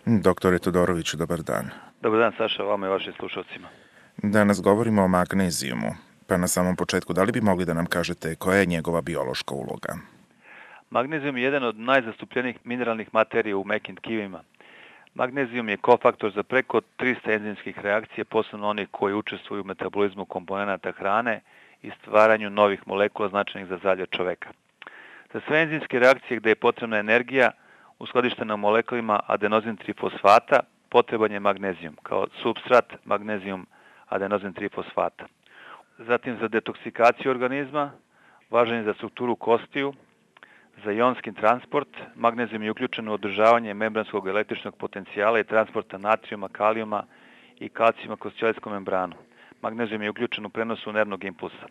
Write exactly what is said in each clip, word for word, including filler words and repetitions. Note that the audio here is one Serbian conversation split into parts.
Doktore Todoroviću, dobar dan. Dobar dan, Saša, vama i vašim slušalcima. Danas govorimo o magnezijumu, pa na samom početku, da li bi mogli da nam kažete koja je njegova biološka uloga? Magnezijum je jedan od najzastupljenijih mineralnih materija u mekim tkivima. Magnezijum je kofaktor za preko trista enzimskih reakcija, posebno onih koji učestvuju u metabolizmu komponenata hrane i stvaranju novih molekula značajnih za zdravlje čoveka. Za sve enzimske reakcije gde je potrebna energija, uskladištena u molekulima adenozin trifosfata, potreban je magnezijum kao supstrat magnezijum adenozin trifosfata. Zatim za detoksikaciju organizma, važan je za strukturu kostiju, za ionski transport, magnezijum je uključen u održavanje membranskog električnog potencijala i transporta natrijuma, kalijuma i kalcijuma kroz ćelijsku membranu. Magnezijum je uključen u prenosu nervnog impulsa.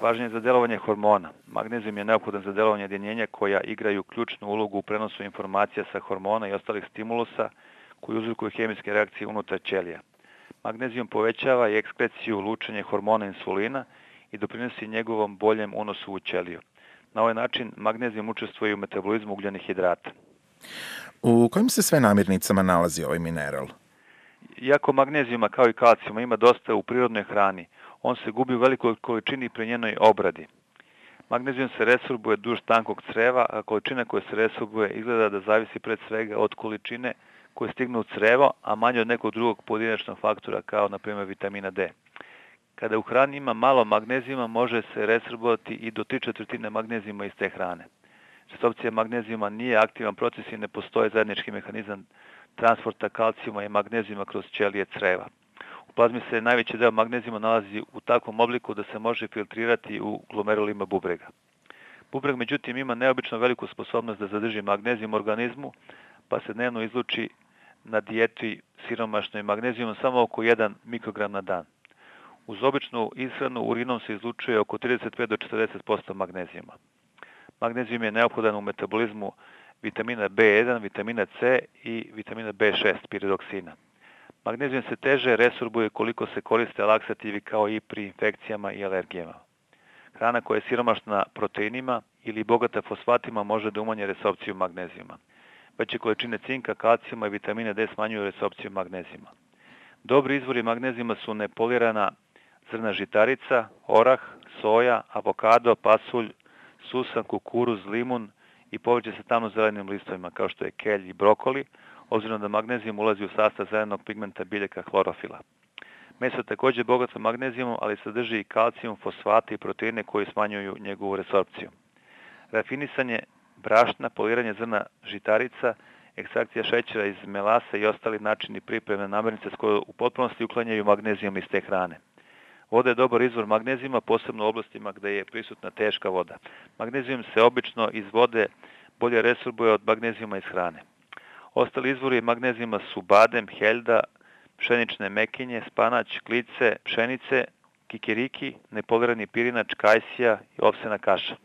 Važan je za delovanje hormona. Magnezijum je neophodan za delovanje jedinjenja koja igraju ključnu ulogu u prenosu informacija sa hormona i ostalih stimulusa koji uzrokuju hemijske reakcije unutar ćelija. Magnezijum povećava i ekskreciju lučenja hormona insulina i doprinosi njegovom boljem unosu u ćeliju. Na ovaj način magnezijum učestvuje u metabolizmu ugljenih hidrata. U kojim se sve namirnicama nalazi ovaj mineral? Iako magnezijuma kao i kalcijuma ima dosta u prirodnoj hrani, on se gubi u velikoj količini pri njenoj obradi. Magnezijum se resorbuje duž tankog creva, a količina koja se resorbuje izgleda da zavisi pred svega od količine koje stignu u crevo, a manje od nekog drugog pojedinačnog faktora kao na primjer vitamina D. Kada u hrani ima malo magnezijuma, može se resorbovati i do tri četvrtine magnezijuma iz te hrane. Resorpcija magnezijuma nije aktivan proces i ne postoji zajednički mehanizam transporta kalcijuma i magnezijuma kroz ćelije creva. U plazmi se najveći deo magnezijuma nalazi u takvom obliku da se može filtrirati u glomerulima bubrega. Bubreg, međutim, ima neobično veliku sposobnost da zadrži magnezijum u organizmu, pa se dnevno izluči na dijeti siromašnoj magnezijumom samo oko jedan mikrogram na dan. Uz običnu ishranu urinom se izlučuje oko trideset pet do četrdeset posto magnezijuma. Magnezijum je neophodan u metabolizmu vitamina B jedan, vitamina C i vitamina B šest, piridoksina. Magnezijum se teže resorbuje koliko se koriste laksativi kao i pri infekcijama i alergijama. Hrana koja je siromašna proteinima ili bogata fosfatima može da umanje resorpciju magnezijuma. Veće količine cinka, kalcijuma i vitamina D smanjuju resorpciju magnezijuma. Dobri izvori magnezijuma su nepolirana zrna žitarica, orah, soja, avokado, pasulj, susan, kukuruz, limun i povrće sa tamno-zelenim listovima kao što je kelj i brokoli, obzirom da magnezijum ulazi u sastav zelenog pigmenta biljaka hlorofila. Meso je također bogato magnezijumom, ali sadrži i kalcijum, fosfate i proteine koji smanjuju njegovu resorpciju. Rafinisanje brašna, poliranje zrna žitarica, ekstrakcija šećera iz melase i ostali načini pripreme namirnice s koje u potpunosti uklanjaju magnezijum iz te hrane. Voda je dobar izvor magnezijuma, posebno u oblastima gde je prisutna teška voda. Magnezijum se obično iz vode bolje resorbuje od magnezijuma iz hrane. Ostali izvori magnezijuma su badem, heljda, pšenične mekinje, spanać, klice, pšenice, kikiriki, nepolirani pirinač, kajsija i ovsena kaša.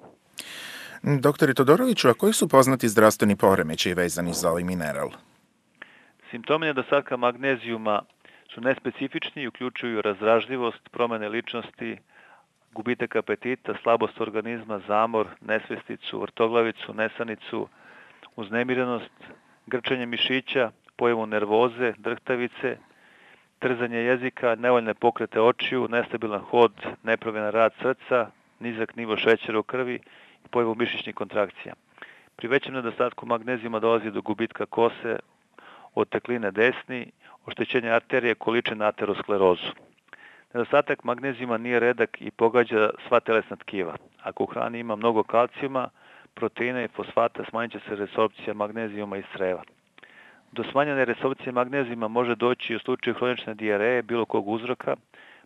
Doktore Todoroviću, a koji su poznati zdravstveni poremećaji vezani za ovaj mineral? Simptomi nedostatka magnezijuma su nespecifični i uključuju razdražljivost, promene ličnosti, gubitak apetita, slabost organizma, zamor, nesvesticu, vrtoglavicu, nesanicu, uznemirenost, grčanje mišića, pojavu nervoze, drhtavice, trzanje jezika, nevoljne pokrete očiju, nestabilan hod, nepravilan rad srca, nizak nivo šećera u krvi i pojavu mišićnih kontrakcija. Pri većem nedostatku magnezijuma dolazi do gubitka kose, otekline desni, oštećenja arterije, količine aterosklerozu. Nedostatak magnezijuma nije redak i pogađa sva telesna tkiva. Ako u hrani ima mnogo kalcijuma, proteina i fosfata, smanjit će se resorpcija magnezijuma iz creva. Do smanjene resorpcije magnezijuma može doći u slučaju hronične dijareje bilo kog uzroka,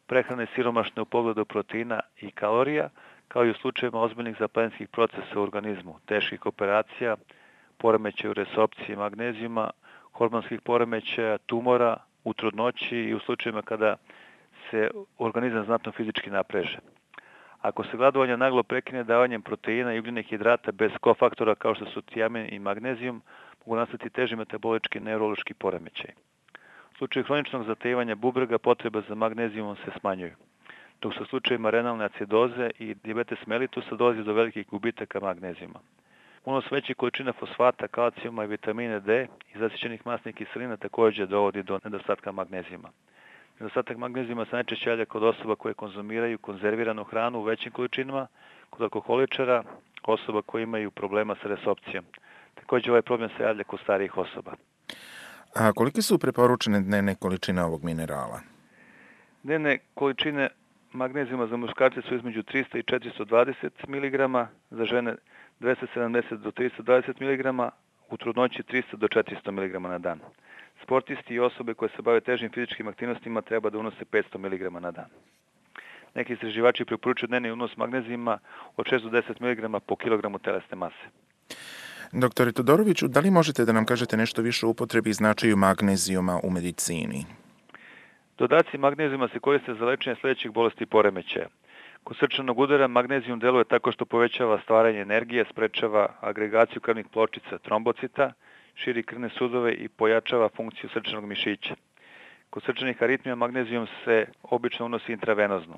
prehrane siromašne u pogledu proteina i kalorija, kao i u slučajevima ozbiljnih zapaljenskih procesa u organizmu, teških operacija, poremećaja u resorpciji magnezijuma, hormonskih poremećaja, tumora, u trudnoći i u slučajevima kada se organizam znatno fizički napreže. Ako se gladovanje naglo prekine davanjem proteina i ugljenih hidrata bez kofaktora kao što su tiamin i magnezijum, mogu nastati teži metabolički neurološki poremećaj. U slučaju hroničnog zatajivanja bubrega potreba za magnezijumom se smanjuju, dok su u slučajevima renalne acidoze i dijabetes mellitusa dolazi do velikih gubitaka magnezijuma. Unos većih količina fosfata, kalcijuma i vitamina D i zasićenih masnih kiselina također dovodi do nedostatka magnezijuma. Nedostatak magnezijuma se najčešće javlja kod osoba koje konzumiraju konzerviranu hranu u većim količinama, kod alkoholičara, osoba koje imaju problema sa resopcijom. Također ovaj problem se javlja kod starijih osoba. A kolike su preporučene dnevne količine ovog minerala? Dnevne količine magnezijuma za muškarce su između trista i četiristo dvadeset miligrama, za žene dvesta sedamdeset do trista dvadeset miligrama, u trudnoći trista do četiristo miligrama na dan. Sportisti i osobe koje se bave težim fizičkim aktivnostima treba da unose petsto miligrama na dan. Neki istraživači preporučuju dnevni unos magnezijuma od šest do deset miligrama po kilogramu telesne mase. Doktore Todoroviću, da li možete da nam kažete nešto više o upotrebi i značaju magnezijuma u medicini? Dodaci magnezijuma se koriste za lečenje sljedećih bolesti i poremećaja. Kod srčanog udara magnezijum deluje tako što povećava stvaranje energije, sprečava agregaciju krvnih pločica trombocita, širi krvne sudove i pojačava funkciju srčanog mišića. Kod srčanih aritmija magnezijum se obično unosi intravenozno.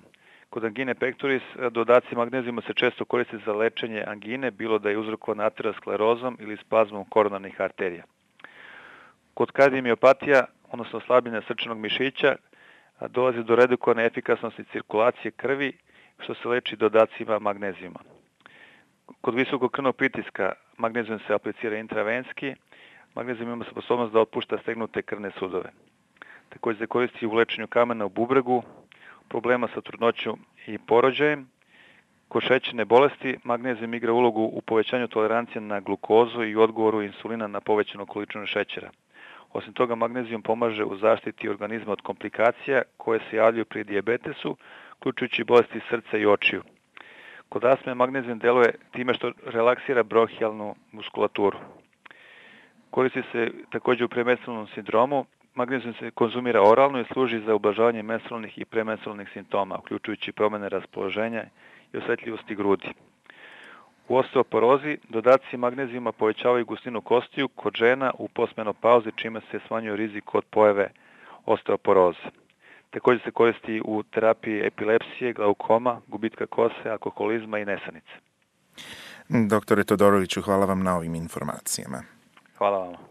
Kod angine pectoris dodaci magnezijuma se često koriste za lečenje angine, bilo da je uzrokovana aterosklerozom ili spazmom koronarnih arterija. Kod kardiomiopatija, odnosno slabljenja srčanog mišića, dolazi do redukovane efikasnosti cirkulacije krvi, što se leči dodacima magnezijuma. Kod visokog krvnog pritiska magnezijum se aplicira intravenski, magnezijum ima sposobnost da otpušta stegnute krvne sudove. Također se koristi u lečenju kamena u bubregu, problema sa trudnoćom i porođajem. Kod šećerne bolesti magnezijum igra ulogu u povećanju tolerancije na glukozu i odgovoru insulina na povećanu količinu šećera. Osim toga, magnezijum pomaže u zaštiti organizma od komplikacija koje se javljaju pri dijabetesu, uključujući bolesti srca i očiju. Kod astme magnezijum deluje time što relaksira bronhijalnu muskulaturu. Koristi se također u premenstrualnom sindromu. Magnezijum se konzumira oralno i služi za ublažavanje menstrualnih i premenstrualnih simptoma, uključujući promjene raspoloženja i osjetljivosti grudi. U osteoporozi dodaci magnezijuma povećavaju gustinu kostiju kod žena u postmenopauzi, čime se smanjuje rizik od pojave osteoporoze. Također se koristi u terapiji epilepsije, glaukoma, gubitka kose, alkoholizma i nesanice. Doktore Todoroviću, hvala vam na ovim informacijama. Hvala vam.